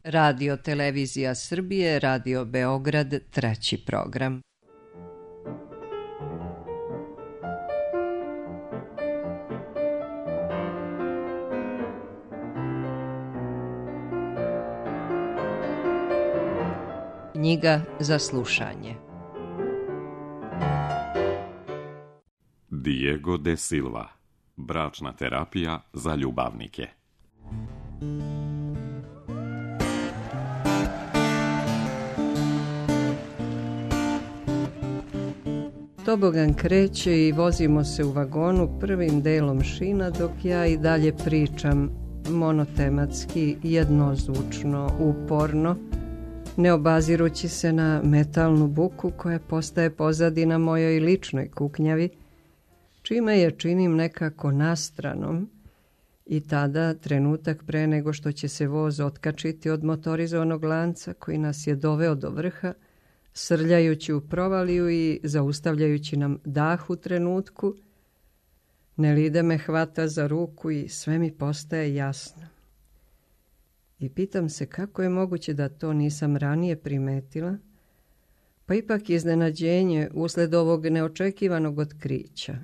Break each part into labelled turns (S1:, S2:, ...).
S1: Radio Televizija Srbije, Radio Beograd, 3. program. Knjiga za slušanje.
S2: Diego de Silva. Bračna terapija za ljubavnike.
S3: Tobogan kreće i vozimo se u vagonu prvim delom šina dok ja i dalje pričam monotematski, jednozvučno, uporno, ne obazirući se na metalnu buku koja postaje pozadina mojoj ličnoj kuknjavi, čime je činim nekako nastranom i tada, trenutak pre nego što će se voz otkačiti od motorizovanog lanca koji nas je doveo do vrha, srljajući u provaliju i zaustavljajući nam dah u trenutku, Nelide me hvata za ruku i sve mi postaje jasno. I pitam se kako je moguće da to nisam ranije primetila, pa ipak iznenađenje usled ovog neočekivanog otkrića,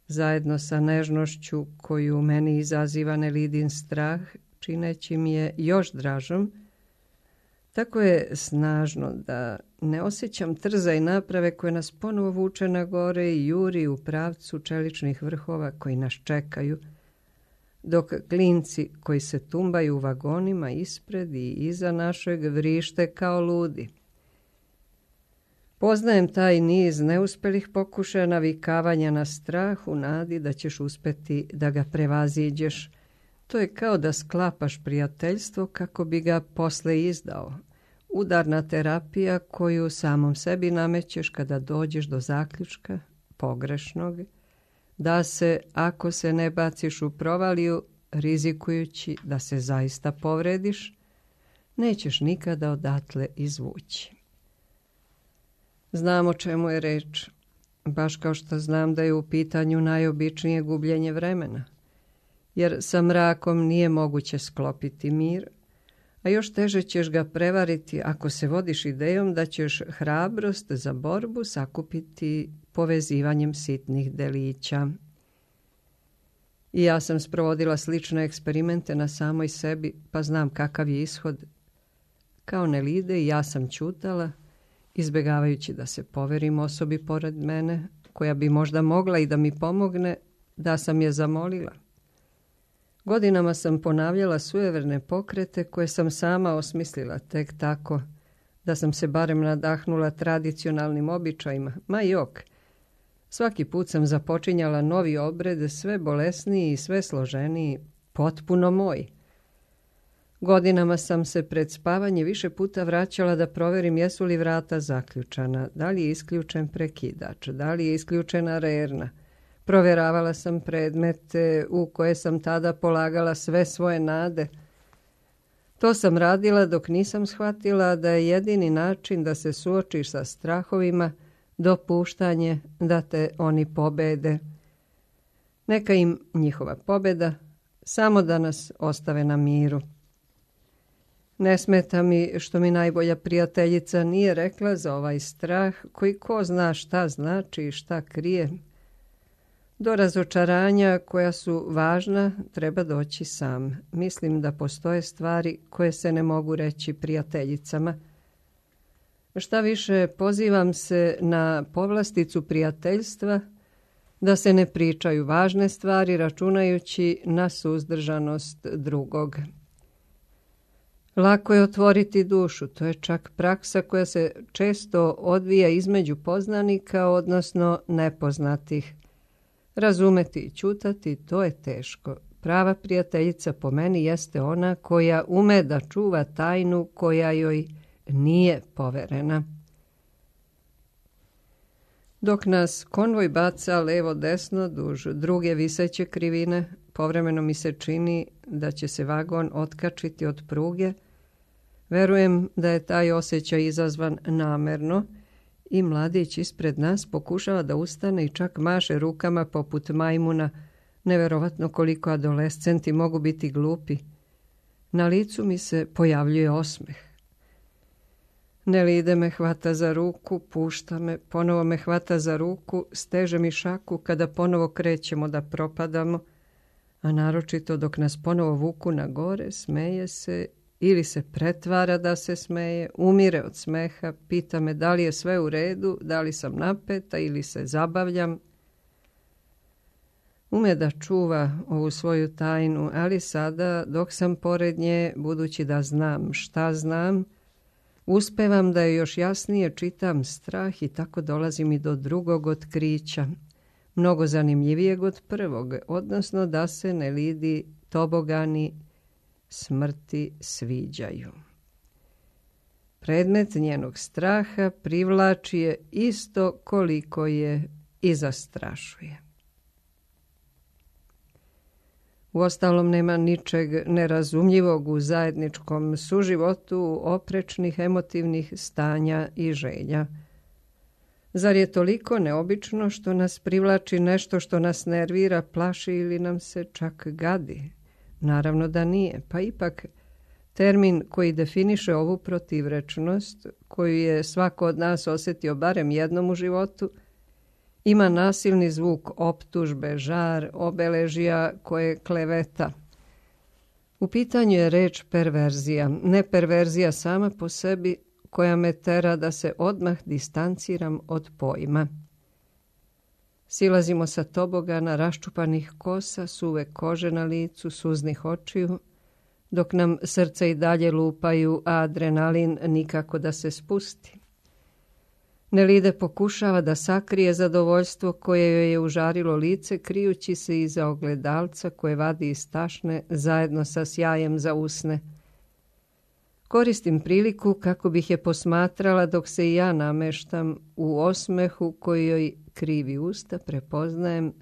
S3: zajedno sa nežnošću koju u meni izaziva Nelidin strah, čineći mi je još dražom, tako je snažno da ne osjećam trza i naprave koje nas ponovo vuče na gore i juri u pravcu čeličnih vrhova koji nas čekaju, dok klinci koji se tumbaju u vagonima ispred i iza našeg vrište kao ludi. Poznajem taj niz neuspelih pokušaja navikavanja na strah u nadi da ćeš uspeti da ga prevaziđeš. To je kao da sklapaš prijateljstvo kako bi ga posle izdao. Udarna terapija koju samom sebi namećeš kada dođeš do zaključka, pogrešnog, da se, ako se ne baciš u provaliju, rizikujući da se zaista povrediš, nećeš nikada odatle izvući. Znam o čemu je reč, baš kao što znam da je u pitanju najobičnije gubljenje vremena, jer sa mrakom nije moguće sklopiti mir, a još teže ćeš ga prevariti ako se vodiš idejom da ćeš hrabrost za borbu sakupiti povezivanjem sitnih delića. I ja sam sprovodila slične eksperimente na samoj sebi, pa znam kakav je ishod. Kao Nelide i ja sam ćutala, izbjegavajući da se poverim osobi pored mene, koja bi možda mogla i da mi pomogne, da sam je zamolila. Godinama sam ponavljala sujeverne pokrete koje sam sama osmislila tek tako, da sam se barem nadahnula tradicionalnim običajima, ma jok. Svaki put sam započinjala novi obred, sve bolesniji i sve složeniji, potpuno moj. Godinama sam se pred spavanje više puta vraćala da proverim jesu li vrata zaključana, da li je isključen prekidač, da li je isključena rerna. Provjeravala sam predmete u koje sam tada polagala sve svoje nade. To sam radila dok nisam shvatila da je jedini način da se suočiš sa strahovima dopuštanje da te oni pobede. Neka im njihova pobeda, samo da nas ostave na miru. Ne smeta mi što mi najbolja prijateljica nije rekla za ovaj strah koji ko zna šta znači i šta krije. Do razočaranja koja su važna treba doći sam. Mislim da postoje stvari koje se ne mogu reći prijateljicama. Šta više, pozivam se na povlasticu prijateljstva da se ne pričaju važne stvari računajući na suzdržanost drugog. Lako je otvoriti dušu, to je čak praksa koja se često odvija između poznanika, odnosno nepoznatih. Razumeti i ćutati, to je teško. Prava prijateljica po meni jeste ona koja ume da čuva tajnu koja joj nije poverena. Dok nas konvoj baca levo-desno duž druge viseće krivine, povremeno mi se čini da će se vagon otkačiti od pruge. Verujem da je taj osjećaj izazvan namerno i mladić ispred nas pokušava da ustane i čak maše rukama poput majmuna. Neverovatno koliko adolescenti mogu biti glupi. Na licu mi se pojavljuje osmeh. Nelide me hvata za ruku, pušta me, ponovo me hvata za ruku, steže mi šaku kada ponovo krećemo da propadamo, a naročito dok nas ponovo vuku na gore, smeje se ili se pretvara da se smeje, umire od smeha, pita me da li je sve u redu, da li sam napeta ili se zabavljam. Ume da čuva ovu svoju tajnu, ali sada, dok sam pored nje, budući da znam šta znam, uspevam da je još jasnije čitam strah i tako dolazim i do drugog otkrića, mnogo zanimljivijeg od prvog, odnosno da se Nelidi tobogani smrti sviđaju. Predmet njenog straha privlači je isto koliko je i zastrašuje. Uostalom nema ničeg nerazumljivog u zajedničkom suživotu oprečnih emotivnih stanja i želja. Zar je toliko neobično što nas privlači nešto što nas nervira, plaši ili nam se čak gadi? Naravno da nije, pa ipak termin koji definiše ovu protivrečnost, koju je svako od nas osjetio barem jednom u životu, ima nasilni zvuk optužbe, žar, obeležja koje kleveta. U pitanju je reč perverzija, ne perverzija sama po sebi, koja me tera da se odmah distanciram od pojma. Silazimo sa tobogana raščupanih kosa, suve kože na licu, suznih očiju, dok nam srce i dalje lupaju, a adrenalin nikako da se spusti. Nelide pokušava da sakrije zadovoljstvo koje joj je užarilo lice, krijući se iza ogledalca koje vadi iz tašne zajedno sa sjajem za usne. Koristim priliku kako bih je posmatrala dok se i ja nameštam u osmehu koji joj krivi usta, prepoznajem,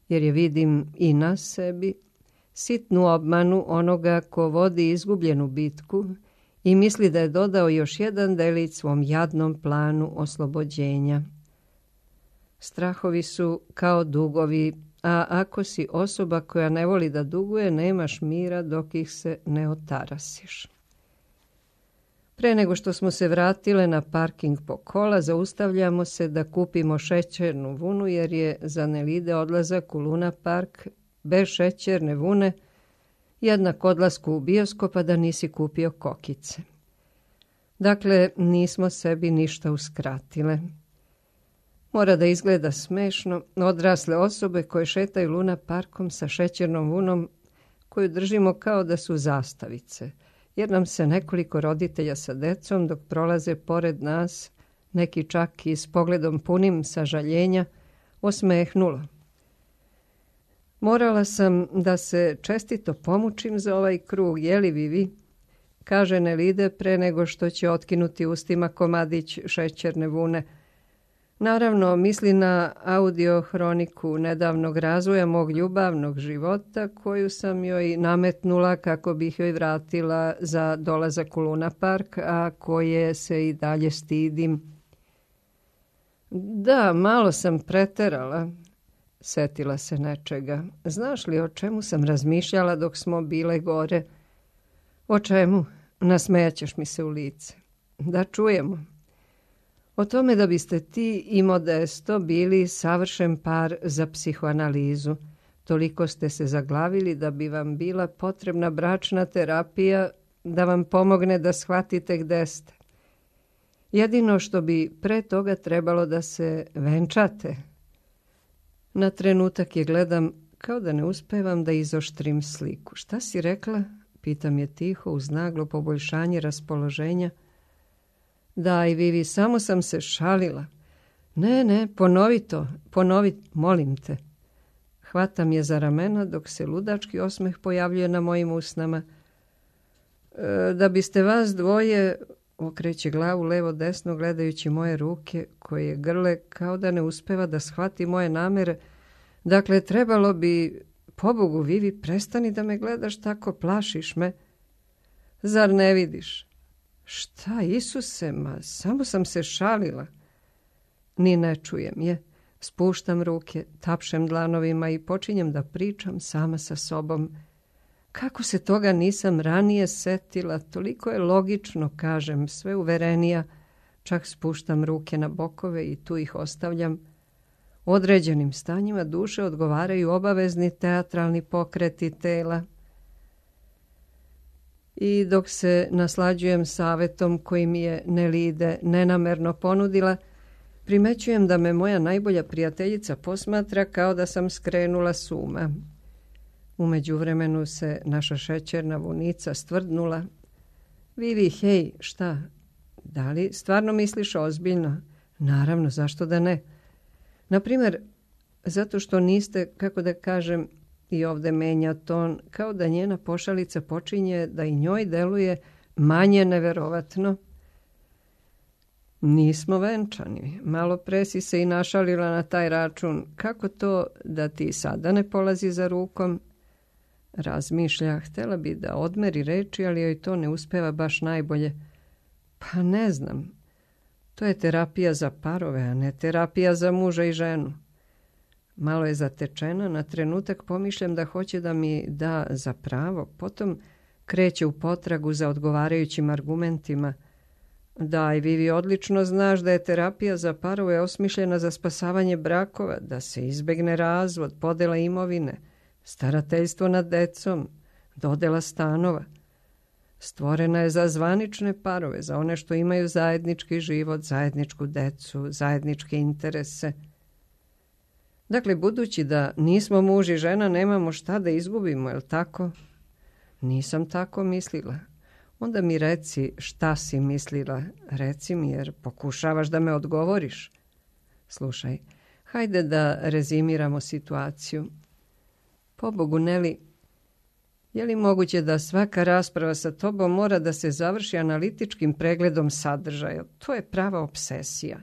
S3: jer je vidim i na sebi, sitnu obmanu onoga ko vodi izgubljenu bitku i misli da je dodao još jedan delić svom jadnom planu oslobođenja. Strahovi su kao dugovi, a ako si osoba koja ne voli da duguje, nemaš mira dok ih se ne otarasiš. Pre nego što smo se vratile na parking po kola, zaustavljamo se da kupimo šećernu vunu, jer je za Nelide odlazak u Luna Park bez šećerne vune jednak odlasku u bioskop, a da nisi kupio kokice. Dakle, nismo sebi ništa uskratile. Mora da izgleda smešno, odrasle osobe koje šetaju Luna Parkom sa šećernom vunom koju držimo kao da su zastavice, jer nam se nekoliko roditelja sa decom dok prolaze pored nas, neki čak i s pogledom punim sažaljenja, osmehnulo. Morala sam da se čestito pomučim za ovaj krug, jeli Vivi, kaže Nelide pre nego što će otkinuti ustima komadić šećerne vune. Naravno, misli na audiohroniku nedavnog razvoja mog ljubavnog života, koju sam joj nametnula kako bih joj vratila za dolazak u Luna Park, a koje se i dalje stidim. Da, malo sam preterala, setila se nečega. Znaš li o čemu sam razmišljala dok smo bile gore? O čemu? Nasmejaćeš mi se u lice. Da čujemo. O tome da biste ti i Modesto bili savršen par za psihoanalizu. Toliko ste se zaglavili da bi vam bila potrebna bračna terapija da vam pomogne da shvatite gde ste. Jedino što bi pre toga trebalo da se venčate. Na trenutak je gledam kao da ne uspevam da izoštrim sliku. Šta si rekla? Pitam je tiho uz naglo poboljšanje raspoloženja. Daj, Vivi, samo sam se šalila. Ne, ponovi, molim te. Hvatam je za ramena dok se ludački osmeh pojavljuje na mojim usnama. Da biste vas dvoje, okreće glavu levo-desno gledajući moje ruke koje grle kao da ne uspeva da shvati moje namere. Dakle, trebalo bi, pobogu Vivi, prestani da me gledaš tako, plašiš me. Zar ne vidiš? Šta, Isuse, ma, samo sam se šalila. Ni ne čujem je. Spuštam ruke, tapšem dlanovima i počinjem da pričam sama sa sobom. Kako se toga nisam ranije setila, toliko je logično, kažem, sve uverenija, čak spuštam ruke na bokove i tu ih ostavljam. Određenim stanjima duše odgovaraju obavezni teatralni pokreti tela. I dok se naslađujem savetom koji mi je Nelide nenamerno ponudila, primećujem da me moja najbolja prijateljica posmatra kao da sam skrenula s uma. U međuvremenu se naša šećerna vunica stvrdnula. Vivi, hej, šta? Da li stvarno misliš ozbiljno? Naravno, zašto da ne? Naprimjer, zato što niste, kako da kažem, i ovdje menja ton, kao da njena pošalica počinje da i njoj deluje manje neverovatno. Nismo venčani. Malo pre si se i našalila na taj račun. Kako to da ti sada ne polazi za rukom? Razmišlja, htjela bi da odmeri reči, ali joj to ne uspeva baš najbolje. Pa ne znam. To je terapija za parove, a ne terapija za muža i ženu. Malo je zatečena, na trenutak pomišljam da hoće da mi da za pravo, potom kreće u potragu za odgovarajućim argumentima. Daj, Vivi, odlično znaš da je terapija za parove osmišljena za spasavanje brakova, da se izbegne razvod, podela imovine, starateljstvo nad decom, dodela stanova. Stvorena je za zvanične parove, za one što imaju zajednički život, zajedničku decu, zajedničke interese. Dakle, budući da nismo muž i žena, nemamo šta da izgubimo, je li tako? Nisam tako mislila. Onda mi reci šta si mislila. Reci mi, jer pokušavaš da me odgovoriš. Slušaj, hajde da rezimiramo situaciju. Pobogu, Neli, je li moguće da svaka rasprava sa tobom mora da se završi analitičkim pregledom sadržaja? To je prava obsesija.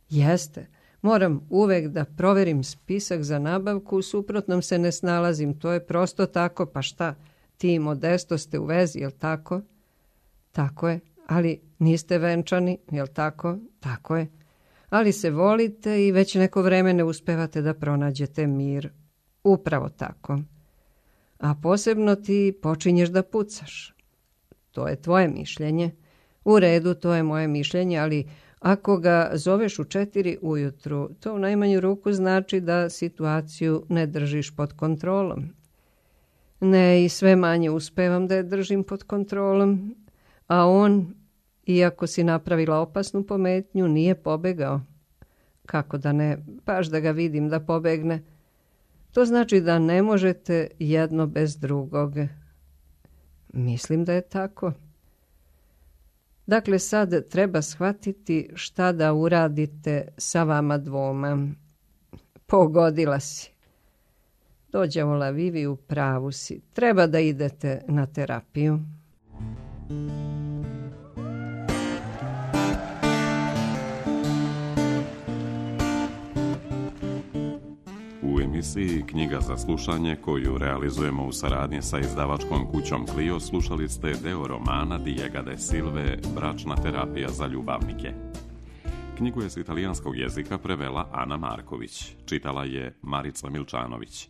S3: Jeste. Moram uvek da proverim spisak za nabavku, u suprotnom se ne snalazim. To je prosto tako, pa šta? Ti i Modesto ste u vezi, jel tako? Tako je, ali niste venčani, jel tako? Tako je. Ali se volite i već neko vreme ne uspevate da pronađete mir. Upravo tako. A posebno ti počinješ da pucaš. To je tvoje mišljenje. U redu, to je moje mišljenje, ali ako ga zoveš u 4 ujutru, to u najmanju ruku znači da situaciju ne držiš pod kontrolom. Ne, i sve manje uspevam da je držim pod kontrolom, a on, iako si napravila opasnu pometnju, nije pobegao. Kako da ne, baš da ga vidim da pobegne. To znači da ne možete jedno bez drugog. Mislim da je tako. Dakle, sad treba shvatiti šta da uradite sa vama dvoma. Pogodila si. Dođavola, Vivi, u pravu si. Treba da idete na terapiju.
S2: U emisiji Knjiga za slušanje, koju realizujemo u saradnji sa izdavačkom kućom Clio, slušali ste deo romana Diega de Silve Bračna terapija za ljubavnike. Knjigu je s italijanskog jezika prevela Ana Marković, čitala je Marica Milčanović.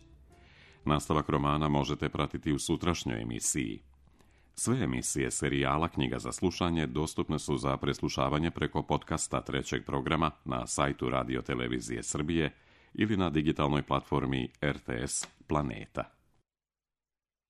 S2: Nastavak romana možete pratiti u sutrašnjoj emisiji. Sve emisije serijala Knjiga za slušanje dostupne su za preslušavanje preko podcasta 3. programa na sajtu Radio Televizije Srbije ili na digitalnoj platformi RTS Planeta.